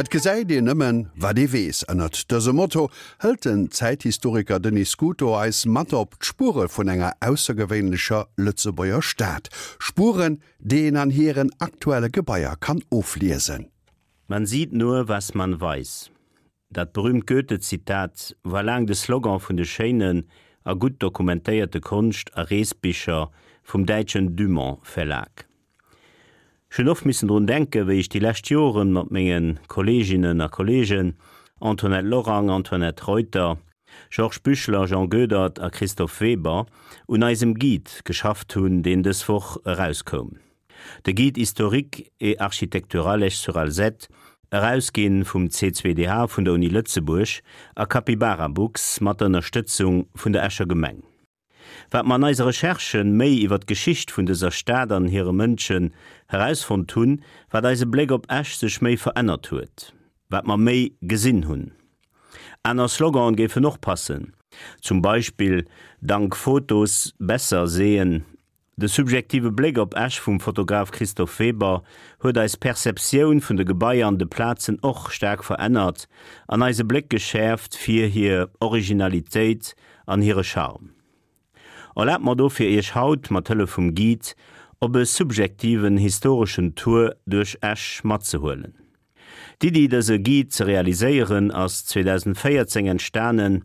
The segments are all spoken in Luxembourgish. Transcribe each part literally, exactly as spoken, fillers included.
Et gesäit een nëmmen, wat ee weess. Ënnert dësem Motto hëlt den Zäithistoriker Denis Scuto eis mat op d'Spuere vun enger aussergewéinlecher Lëtzebuerger Stad. Spueren, déi een an hiren aktuelle Gebaier kann ofliesen. Man sieht nur, was man weiß. Dat berüümt Goethe-Zitat war laang de Slogan vun de schéinen a gutt dokumentéierte Konscht a Reesbicher vum däitschen Dumont Verlag. Ech hunn oft missen drun denken, wéi ech déi lescht Joren mat menge Kolleeginnen a Kolleegen Antoinette Lorang, Antoinette Reuter, Georges Büchler, Jean Goedert a Christophe Weber un eisem Guide geschafft hunn, deen dës Woch erauskoum. De Guide historique et architectural Esch-sur-Alzette, erausginn vum C zwei D H vun der Uni Lëtzebuerg a Capybara Books mat der Ënnerstëtzung vun der Escher Gemeng. Wat mer an eise Recherchen méi iwwer d'Geschicht vun dëser Stad an hire Mënschen herausfonnt hunn, wat eise Bléck op Esch sech méi verännert huet, wat mer méi gesinn hunn. Aner Slogane géifen och passen, zum Beispill Dank Fotos besser sehen. De subjektive Bléck op Esch vum Fotograf Christophe Weber huet eis Perceptioun vun de Gebaier an de Plazen och staark verännert an eise Bléck geschäerft fir hir Originalitéit an hire Charme. Erlaabt mer dofir Iech haut mat Hëllef vum Guide op e subjektiven historeschen Tour duerch Esch matzehuelen. D'Iddi dëse Guide ze realiséieren ass zweedausendvéierzéng entstanen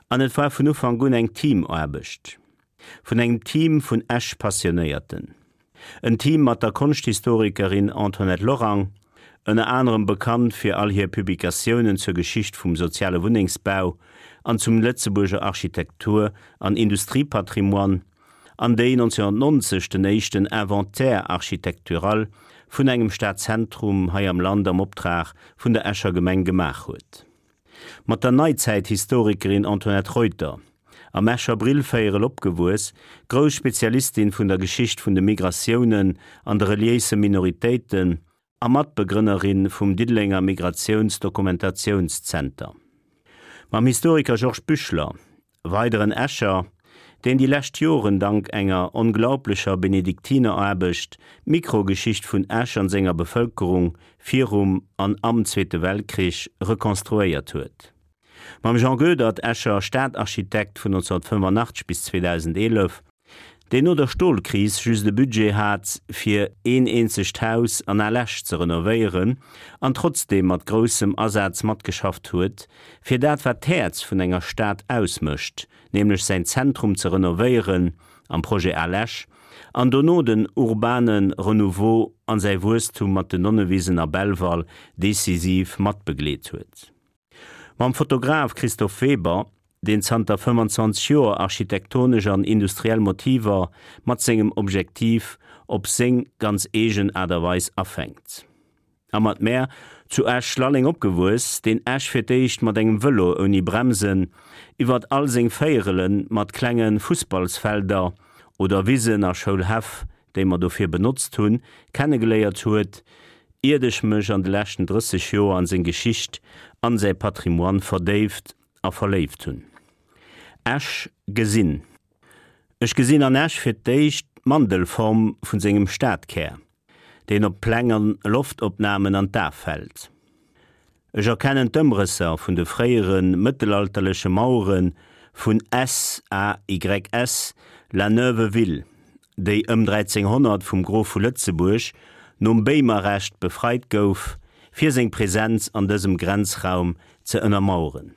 an et war vun Ufank un eng Teamaarbecht vun engem Team vun Esch-Passionéierten. En Team mat der Konschthistorikerin Antoinette Lorang, ënner anerem bekannt fir all hir Publikatiounen zur Geschicht vum soziale Wunnengsbau an zum Lëtzebuerger Architektur an Industriepatrimoine, an déi nonzénhunnertnonzeg den éischten Inventaire architectural vun engem Stadzentrum hei am Land am Optrag vun der Escher Gemeng gemaach huet. Mat der Neizäithistorikerin Antoinette Reuter, am Escher Brillvéierel opgewuess, grouss Spezialistin vun der Geschicht vun de Migratiounen an de reliéise Minoritéiten a Matbegrënnerin vum Diddelenger Migratiounsdokumentationszenter. Mam Historiker Georges Büchler, weideren Escher, deen déi lescht Joren dank enger onglaublecher Benediktineraarbecht d'Mikrogeschicht vun Esch an senger Bevëlkerung virum an am Zweete Weltkrich rekonstruéiert huet. Mam Jean Goedert, Escher Stadarchitekt vun nonzénhunnertfënnefenachtzeg bis zweedausendeelef, deen no der Stolkris just e Budget hat, fir een eenzegt Haus an Al Esch ze renovéieren an trotzdeem mat groussem Asaz matgeschafft huet, fir dat wat d'Häerz vun enger Stad ausmécht, nämlech säin Zentrum ze renovéieren am Projet Al Esch an dono den urbane Renouveau an säi Wuesstum mat den Nonnewisen a Belval decisiv matbegleet huet. Mam Fotograf Christophe Weber, deen zanter fëmmanzwanzeg Joer architektonesch an industriell Motiver mat sengem Objektiv op seng ganz eegen Aart a Weis afänkt. A mat mär, zu Esch-Lalleng opgewuess, deen Esch fir d'éischt mat engem Vëlo ouni Bremsen iwwert all seng Véierele mat klenge Fussballsfelder oder Wisen a Schoulhäff, déi mer dofir benotzt hunn, kennegeléiert huet, iert ech mech an de leschten drësseg Joer an seng Geschicht an säi Patrimoine verdéift a verléift hunn. Esch gesinn. Ech gesinn an Esch fir d'éischt d'Mandelform vun sengem Stadkär, deen op Pläng an Loftopnamen an d'A fält. Ech erkennen d'Ëmrësser vun de fréiere mëttelalterleche Mauere vun S A Y S La Neuve Ville, déi ëm dräizénghonnert vum Grof vu Lëtzebuerg nom Béimerrecht befreit gouf, fir seng Presenz an dësem Grenzraum ze ënnermaueren.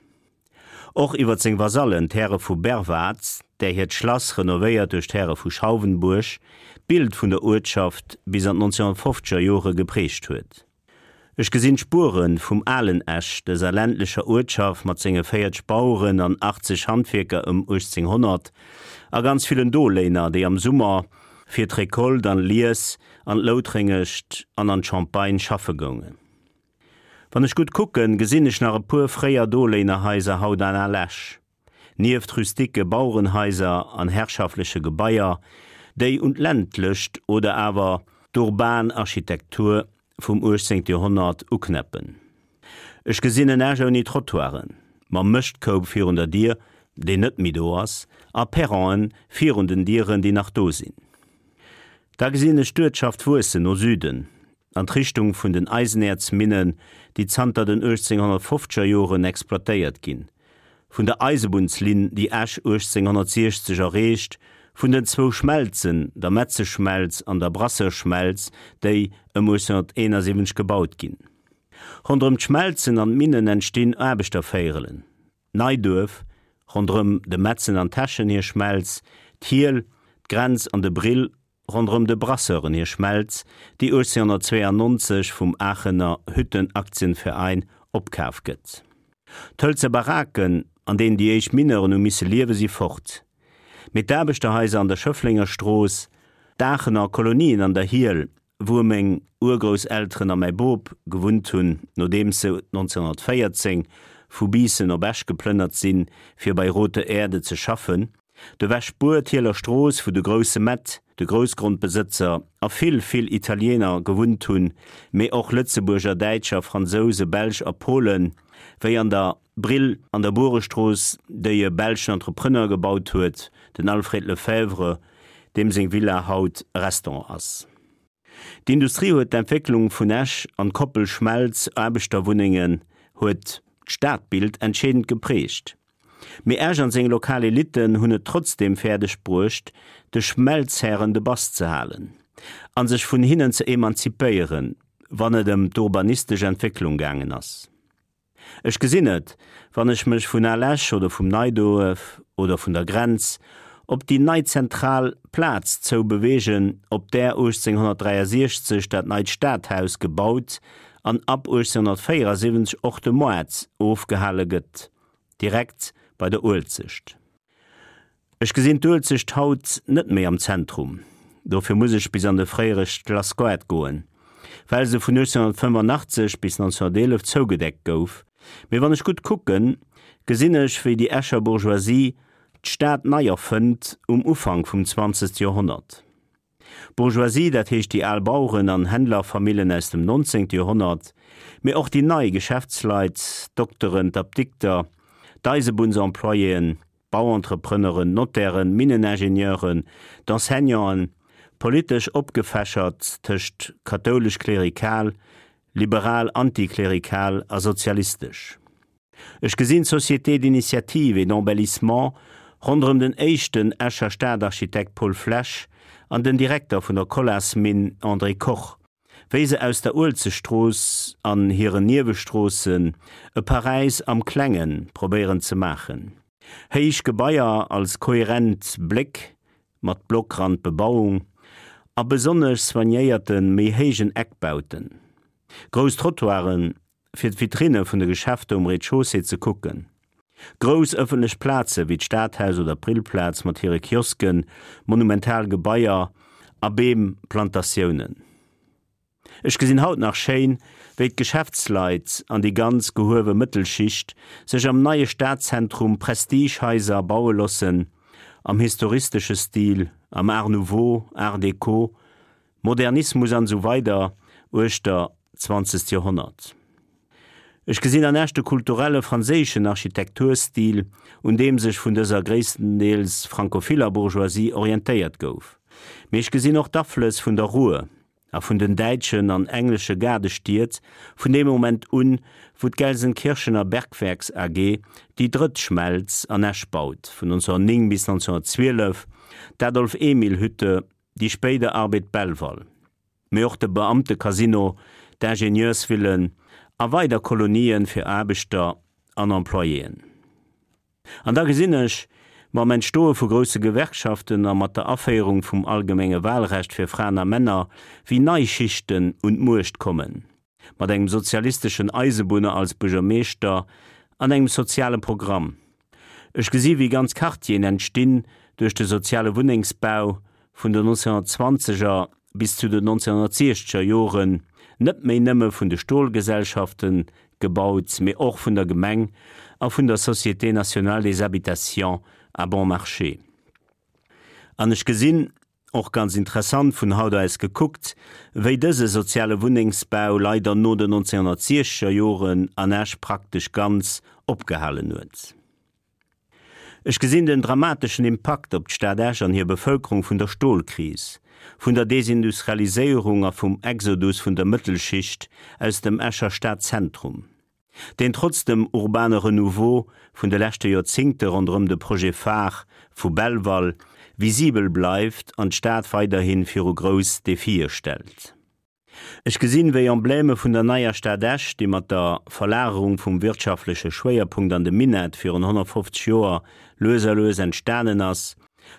Och iwwer seng Vasallen, d'Häre vu Berwart, där hiert Schlass, renovéiert duerch d'Häre vu Schauwenburg, d'Bild vun der Uertschaft bis an d'nonzénhunnertfofzeger Jore geprägt huet. Ech gesinn d'Spuere vum alen Esch, dëser ländlecher Uertschaft mat senge véierzeg Baueren an achtzeg Handwierker ëm uechtzénghonnert a ganz villen Doléiner, déi am Summer fir d'Recolte an d'Lies an d'Loutréngescht an an d'Champagne schaffe goungen. Wann ech gutt kucken, gesinn ech nach e puer fréier Doléinerhaiser haut an Al Esch, nieft rustike Bauerenhaiser an herrschaftleche Gebaier, déi un d'ländlecht oder awer d'urban Architektur vum uechtzéngte Joerhonnert uknäppen. Ech gesinn en Esch ouni Trottoiren, mam Mëschtkoup virun der Dier, deen net méi do ass, a Perronen virun den Dieren, déi nach do sinn. Da gesinn ech d'Uertschaft wuessen no Süden, an d'Richtung vun den Eisenäerzminnen, déi zanter den uechtzénghonnertfofzeger Joren exploitéiert ginn, vun der Eisebunnslinn, déi Esch uechtzénghonnertsiechzeg erreecht, vun den zwou Schmelzen, der Metzeschmelz an der Brasseurschmelz, déi ëm uechtzénghonnerteenasiwwenzeg gebaut ginn. Ronderëm d'Schmelzen an d'Minnen entstinn Aarbechtervéierelen, d'Neiduerf, ronderëm dem Metzen an Täschen hir Schmelz, d'Hiel, d'Grenz an de Brill, ronderëm de Brasseuren hir Schmelz, déi uechtzénghonnertzweeanonzeg vum Aachener Hüttenaktienverein opkaf gëtt. D'hëlze Baraken, an deenen déi éischt Mineuren hu misse liewen, si fort. Mee d'Aarbechterhaiser an der Schëfflenger Strooss, d'Aachener Kolonien an der Hiel, wou meng Urgrousselteren a mäi Bop gewunnt hunn, nodeems se nonzénhonnertvéierzéng vu Biissen op Esch geplënnert sinn, fir bei Rothe Erde ze schaffen, de Wäschbuer, d'Hieler Strooss, wou de grousse Mett, de Groussgrondbesëtzer, a vill, vill Italiener gewunnt hunn, mee och Lëtzebuerger, Däitscher, Fransouse, Belsch a Polen, wéi an der Brill an der Buerestrooss, déi e belschen Entrepreneur gebaut huet, den Alfred Lefèvre, deem seng Villa haut Restaurant ass. D'Industrie huet d'Entwécklung vun Esch an d'Koppel Schmelz, Aarbechterwunnengen huet d'Stadbild entscheedend geprägt. Mee Esch an seng lokal Elitten hunn et trotzdeem fäerdeg bruecht, de Schmelzhären de Bass ze halen a sech vun hinnen ze emanzipéieren, wann et ëm d'urbanistesch Entwécklung gaangen ass. Ech gesinn et, wann ech mech vun Al Esch oder vum Neiduerf oder vun der Grenz op déi nei zentral Plaz zou beweegen, op där uechtzénghonnertdräiasiechzeg dat neit Stadhaus gebaut an ab uechtzénghonnertvéierasiwwenzeg och de Moart ofgehale gëtt, direkt bei der Uelzecht. Ech gesinn d'Uelzecht haut net méi am Zentrum, dofir muss ech bis an de fréiere Schlassgoart goen, well se vun uechtzénhonnertfënnefenachtzeg bis nonzénhonnerteelef zougedeckt gouf. Mee wann ech gutt kucken, gesinn ech, wéi déi Escher Bourgeoisie d'Stad nei erfënnt um Ufank vum zwanzegste Joerhonnert. D'Bourgeoisie, dat heescht déi al Baueren an Händlerfamillen aus dem nonzéngte Joerhonnert, mee och déi nei Geschäftsleit, d'Dokteren, d'Apdikter, d'Eisebunnsemployéen, d'Bauentrepreneuren, d'Notairen, d'Minneningenieuren, d'Enseignanten, politesch opgefächert tëscht kathoulesch-klerikal, liberal-antiklerikal a sozialistesch. Ech gesinn d'Société d'initiative et d'embellissement ronderëm den éischten Escher Stadarchitekt Paul Flesch an den Direkter vun der Colas-Minn André Koch, wéi se aus der Uelzechtstrooss an hiren Niewestroossen e Paräis am Klenge probéieren ze maachen. Héich Gebaier als kohärent Bléck mat Blockrandbebauung a besonnesch soignéierte méi héijen Eckbauten. Grouss Trottoiren, fir d'Vitrinne vun de Geschäfter um Rez-de-chaussée ze kucken. Grouss ëffentlech Plaze wéi d'Stadhaus oder d'Brillplaz mat hire Kiosken, monumental Gebaier a Beemplantatiounen. Ech gesinn haut nach schéin, wéi d'Geschäftsleit an déi ganz gehuewe Mëttelschicht sech am neie Stadzentrum Prestigehaiser baue loossen, am historistesche Stil, am Art Nouveau, Art Déco, Modernismus an esou weider uechter d'zwanzegt Joerhonnert. Ech gesinn an Esch de kulturelle franséischen Architekturstil, un deem sech vun dëser gréisstendeels frankophiller Bourgeoisie orientéiert gouf. Mee ech gesinn och d'Aflëss vun der Ruhr a vun den däitschen an englesche Gaardestied vun deem Moment un, wou d'Gelsenkirchener Bergwerks A G déi drëtt Schmelz an Esch baut, vun nonzénhonnertnéng bis nonzénhonnertzwielef, d'Adolf-Emil-Hütte, déi spéider Arbed Belval, mee och de Beamtecasino, d'Ingenieursvillen a weider Kolonien fir Aarbechter an Employéen. An da gesinn ech, mam Entstoe vu grousse Gewerkschaften a mat der Aféierung vum allgemenge Wahlrecht fir Fraen a Männer, wéi nei Schichten un d'Muecht kommen, mat engem sozialisteschen Eisebunner als Buergermeeschter an engem soziale Programm. Ech gesi wéi ganz Quartieren entstinn duerch de soziale Wunnengsbau vun den nonzénhonnertzwanzeger bis zu den nonzénhonnertsiechzeger Joren, net méi nëmme vun de Stolgesellschaften gebaut, mee och vun der Gemeng a vun der Société nationale des habitations à bon marché. An ech gesinn, och ganz interessant vun haut aus gekuckt, wéi dëse soziale Wunnengsbau leider no den nonzénhonnertsiechzeger Joren an Esch praktesch ganz opgehalen huet. Ech gesinn den dramateschen Impakt op d'Stad Esch an hir Bevëlkerung vun der Stolkris, vun der Desindustrialiséierung a vum Exodus vun der Mëttelschicht aus dem Escher Stadzentrum. Deen trotz dem urbane Renouveau vun de leschte Joerzéngte ronderëm de Projet phare vu Belval visibel bleift an d'Stad weiderhi viru grouss Defie stellt. Ech gesinn, wéi Emblème vun der neier Stad Esch, déi mat der Verlagerung vum wirtschaftleche Schwéierpunkt an de Minett virun honnertfofzeg Joer lues a lues entstanen ass,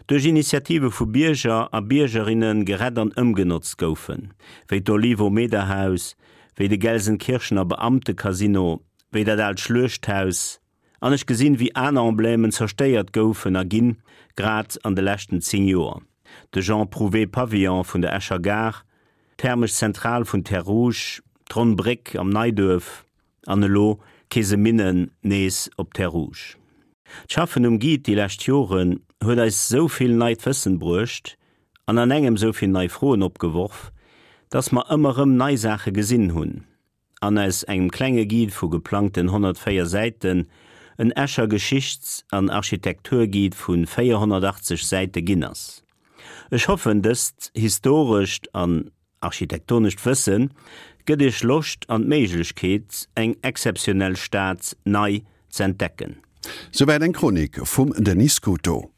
duerch Initiative vu Bierger a Biergerinne gerett an ëmgenotzt goufen, wéi d'Olivo-Meder-Haus, wéi de Gelsenkirchener Beamtecasino, wéi dat aalt Schluechthaus, an ech gesinn, wéi aner Emblèmen zerstéiert goufen a ginn, grad an de leschten zéng Joer, de Jean Prouvé Pavillon vun der Escher Gare, d'thermesch Zentral vun Terres Rouges, d'Ronn Bréck am Neiduerf an elo d'Keeseminnen nees op Terres Rouges. D'Schaffen um Guide déi lescht Joren huet eis sou vill neit Wëssen bruecht an an engem sou vill nei Froen opgeworf, dass mer ëmmer erëm nei Saache gesinn hunn an aus engem klenge Guide vu geplangten honnertvéier Säiten en Escher Geschichts an Architekturguide vu véierhonnertachtzeg Säite ginn ass. Ech hoffen, dëst historescht an architektonescht Wësse gëtt Iech Loscht an d'Méiglechkeet, eng exzeptionell Stad nei z'entdecken. Souwäit eng Chronik vum Denis Scuto.